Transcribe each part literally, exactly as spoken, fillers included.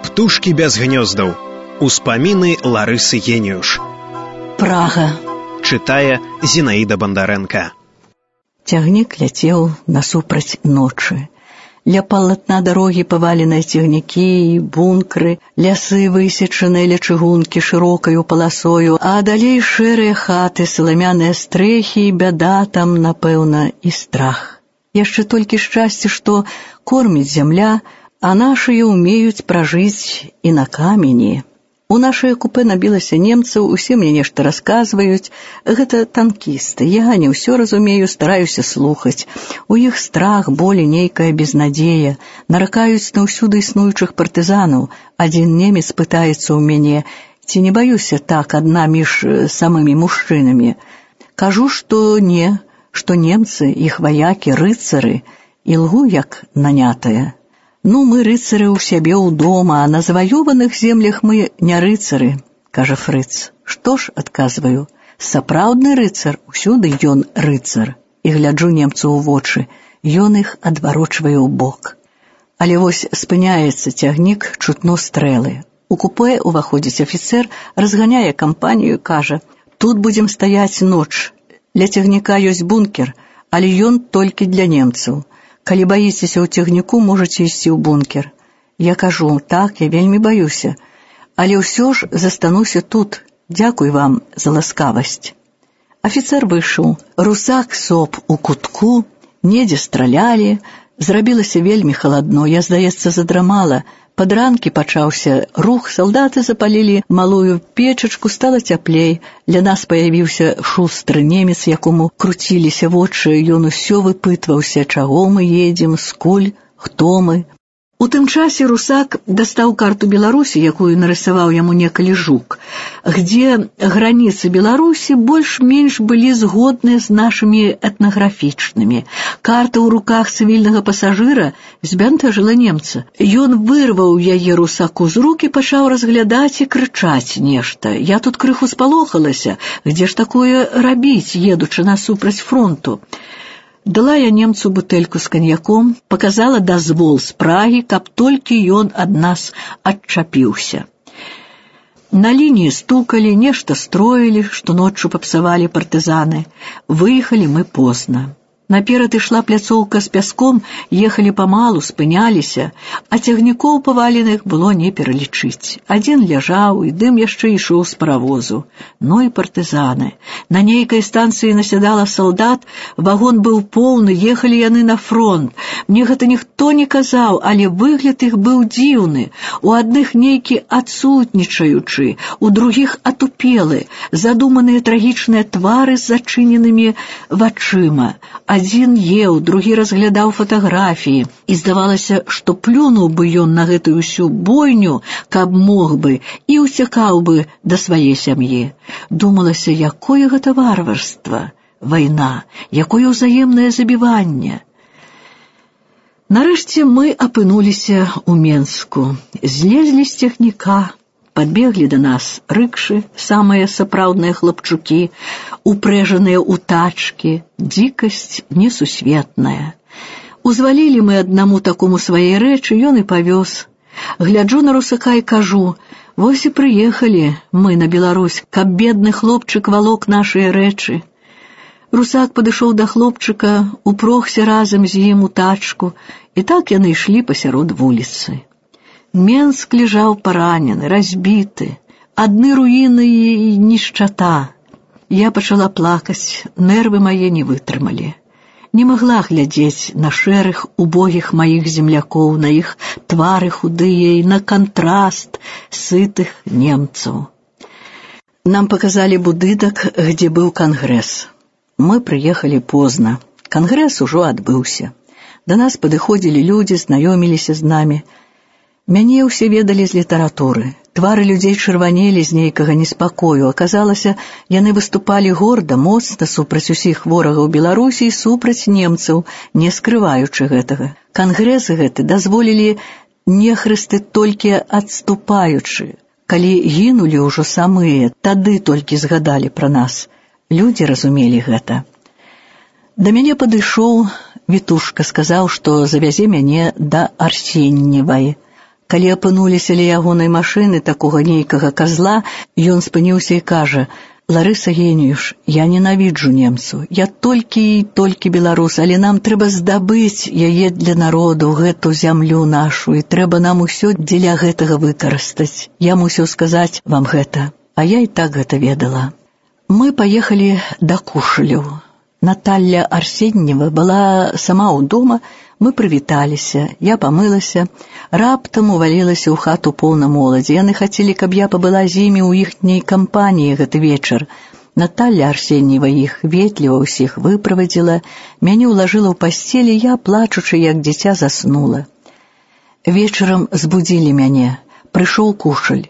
Птушкі без гнёздаў. Успаміны Ларысы Геніюш. Прага. Чытае Зінаіда Бандарэнка. Цягнік ляцеў насупраць ночы. Ля палатна дарогі паваленыя цягнікі і бункры, лясы высечаныя ля чыгункі шырокаю паласою, а далей шэрыя хаты, саламяныя стрэхі, і бяда там, напэўна, і страх. Яшчэ толькі шчасце, што корміць зямля, а нашыя ўмеюць пражыць і на камені. У нашае купе набілася немцаў, усе мне нешта расказваюць. Гэта танкісты. Я не ўсё разумею, стараюся слухаць. У іх страх, боль, нейкая безнадзея. Наракаюць на ўсюды існуючых партызанаў. Адзін немец пытаецца ў мяне, ці не баюся так адна між самымі мужчынамі. Кажу, што не, што немцы, іх ваякі, рыцары, і лгу як нанятая. Ну, мы рыцары ў сябе ў дома, а на заваёваных землях мы не рыцары, кажа Фрыц. Што ж, адказваю, сапраўдны рыцар, усюды ён рыцар. І гляджу немцу ў вочы, ён іх адварочвае ў бок. Але вось спыняецца цягнік, чутно стрэлы. У купе уваходзіць афіцэр, разганяе кампанію, кажа, тут будзем стаяць ноч. Ля цягніка ёсць бункер, але ён толькі для немцаў. Калі баіцеся ў цягніку, можаце ісці ў бункер. Я кажу, так, я вельмі баюся, але ўсё ж застануся тут. Дзякуй вам за ласкавасць. Афіцэр выйшаў. Русак соп у кутку, недзе стралялі, зрабілася вельмі халадно, я, здаецца, задрамала. Пад ранкі пачаўся рух, салдаты запалілі малую печачку, стала цяплей. Ля нас паявіўся шустры немец, якому круціліся вочы, ён усё выпытваўся, чаго мы едзем, скуль, хто мы. У тым часе русак дастаў карту Беларусі, якую нарысаваў яму некалі Жук, где границы Беларусі больш-менш былі згодныя з нашымі этнаграфічнымі. Карта ў руках цывільнага пасажыра збянтэжыла немца. Ён вырваў яе русаку з рук і пачаў разглядаць і крычаць нешта. Я тут крыху спалохалася, дзе ж такое рабіць, едучы насупраць фронту. Дала я немцу бутэльку з каньяком, показала дазвол з Прагі, каб толькі ён ад нас адчапіўся. На лініі стукалі, нешта строілі, што ноччу папсавалі партызаны. Выехалі мы позна. Наперад ішла пляцоўка з пяском, ехалі памалу, спыняліся, а цягнікоў паваленых было не пералічыць. Адзін ляжаў, і дым яшчэ ішоў з паравозу. Ну і партызаны. На нейкай станцыі насядала салдат, вагон быў поўны, ехалі яны на фронт. Мне гэта ніхто не казаў, але выгляд іх быў дзіўны. У адных нейкі адсутнічаючы, у другіх атупелы, задуманыя трагічныя твары з зачыненымі вачыма. Адзін еў, другі разглядаў фатаграфіі, і здавалася, што плюнуў бы ён на гэтую ўсю бойню, каб мог бы, і ўцякаў бы да свае сям'і. Думалася, якое гэта варварства, вайна, якое ўзаемнае забіванне. Нарэшце мы апынуліся ў Менску, злезлі з цягніка. Падбеглі да нас рыкшы, самыя сапраўдныя хлапчукі, упрэжаныя ў тачкі, дзікасць несусветная. Узвалілі мы аднаму такому свае рэчы, ён і павёз. Гляджу на русака і кажу, вось і прыехалі мы на Беларусь, каб бедны хлопчык валок нашыя рэчы. Русак падышоў да хлопчыка, упрохся разам з ім у тачку, і так яны ішлі пасярод вуліцы. Менск лежаў паранены, разбіты, адны руіны і нішчата. Я пачала плакаць, нервы мае не вытрымалі. Не магла глядзець на шэрых, убогіх маіх землякоў, на іх твары худыя і на кантраст сытых немцаў. Нам паказалі будынак, где быў кангрэс. Мы прыехалі позна. Кангрэс ужо адбыўся. Да нас падыходзілі людзі, знаёміліся з намі. Мяне ўсе ведалі з літаратуры. Твары людзей чырванелі з нейкага неспакою. Аказалася, яны выступалі горда, моцна супраць усіх ворагаў Беларусі і супраць немцаў, не скрываючы гэтага. Кангрэс гэты дазволілі нехрысты толькі адступаючы. Калі гінулі ўжо самыя, тады толькі згадалі пра нас. Людзі разумелі гэта. Да мяне падышоў Вітушка, сказаў, што завязе мяне да Арсеньевай. Калі апынуліся ля ягонай машыны такога нейкага казла, ён спыніўся і кажа: «Ларыса Геніюш, я ненавіджу немцу, я толькі і толькі беларус, але нам трэба здабыць яе для народу, гэту зямлю нашу, і трэба нам усё дзеля гэтага выкарыстаць. Я мусіў сказаць вам гэта, а я і так гэта ведала». Мы паехалі да Кушалеў. Наталья Арсеньева была сама ў дома, мы прывіталіся, я памылася, раптам увалілася ў хату поўна моладзі. Яны хацелі, каб я пабыла з імі ў іхняй кампаніі гэты вечар. Наталья Арсеньева іх ветліва ўсіх выправадзіла, мяне ўлажыла ў пасцелі, я, плачучы, як дзіця, заснула. Вечарам збудзілі мяне, прыйшоў Кушаль.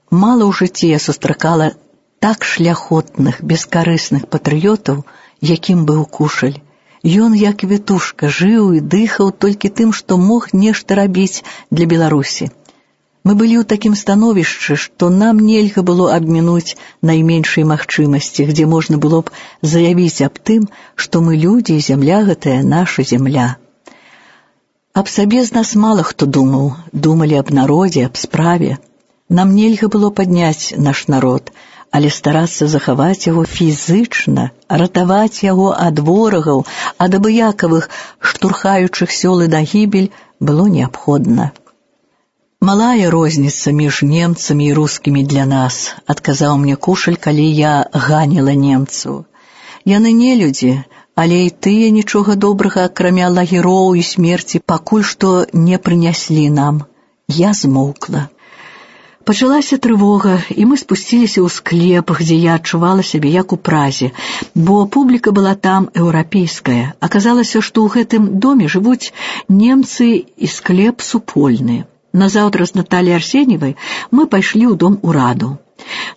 Мала ў жыцці я сустракала так шляхотных, бескарысных патрыётаў, якім быў Кушаль. Ён, як вітушка, жыў і дыхаў толькі тым, што мог нешта рабіць для Беларусі. Мы былі ў такім становішчы, што нам нельга было абмінуць найменшай магчымасці, дзе можна было б заявіць аб тым, што мы людзі і зямля гэтая наша зямля. Аб сабе з нас мала хто думаў, думалі аб народзе, аб справе. Нам нельга было падняць наш народ, але старацца захаваць яго фізычна, ратаваць яго ад ворагаў, ад абыякавых, штурхаючых сёлы на гібель, было неабходна. «Малая розніца між немцамі і рускімі для нас», — адказаў мне Кушаль, калі я ганіла немцаў. «Яны не людзі, але і тыя нічога добрага, акрамя лагероў і смерці, пакуль што не прыняслі нам». Я змоўкла. Пачалася трывога, і мы спусціліся ў склеп, дзе я адчувала сябе як у празе, бо публіка была там еўрапейская. Аказалася, што ў гэтым доме жывуць немцы і склеп супольны. Назаўтра з Натальяй Арсеньевай мы пайшлі ў дом ураду.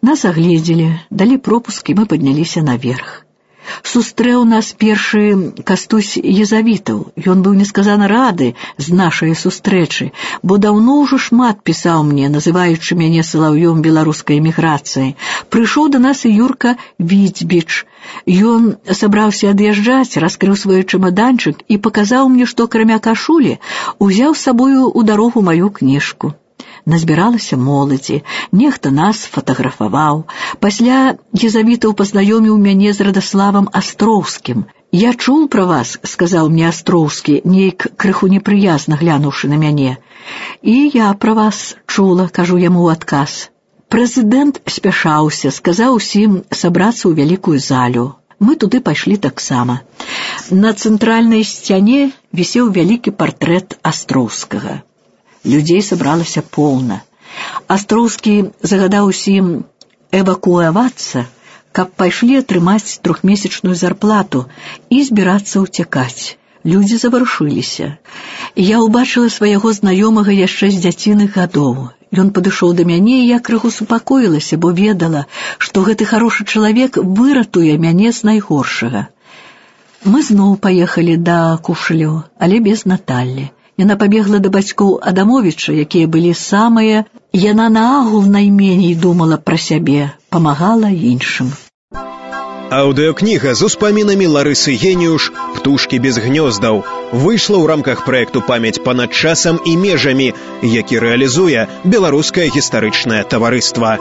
Нас агледзелі, далі пропуск, і мы падняліся наверх. Сустрэў нас першы Кастусь Езавітаў. Ён быў несказана рады з нашай сустрэчы, бо даўно ўжо шмат пісаў мне, называючы мяне салаўём беларускай эміграцыі. Прыйшоў да нас і Юрка Віцбіч. Ён сабраўся ад'язджаць, раскрыў свой чамаданчык і паказаў мне, што акрамя кашулі узяў з сабою ў дарогу маю кніжку. Назбіралася моладзі, нехта нас фатаграфаваў. Пасля Езавітаў пазнаёміў мяне з Радаславам Астроўскім. «Я чуў пра вас», — сказаў мне Астроўскі, нейк крыху непрыязна глянуўшы на мяне. «І я пра вас чула», — кажу яму ў адказ. Прэзідэнт спяшаўся, сказаў усім сабрацца ў вялікую залю. Мы туды пайшлі таксама. На цэнтральнай сцяне вісеў вялікі партрэт Астроўскага. Людзей сабралася поўна. Астроўскі загадаў усім эвакуавацца, каб пайшлі атрымаць трохмесячную зарплату і збірацца ўцякаць. Людзі заварушыліся. Я ўбачыла свайго знаёмага яшчэ з дзяціных гадоў. Ён падышоў да мяне, і я крыху супакоілася, бо ведала, што гэты харошы чалавек выратуе мяне з найгоршага. Мы зноў паехалі да Кушалеў, але без Наталлі. Яна пабегла да бацькоў Адамовіча, якія былі самыя. Яна наагул найменей думала пра сябе, памагала іншым. Аўдыёкніга з успамінамі Ларысы Геніюш «Птушкі без гнёздаў» выйшла ў рамках праекту «Памяць панад часам і межамі», які рэалізуе Беларускае гістарычнае таварыства.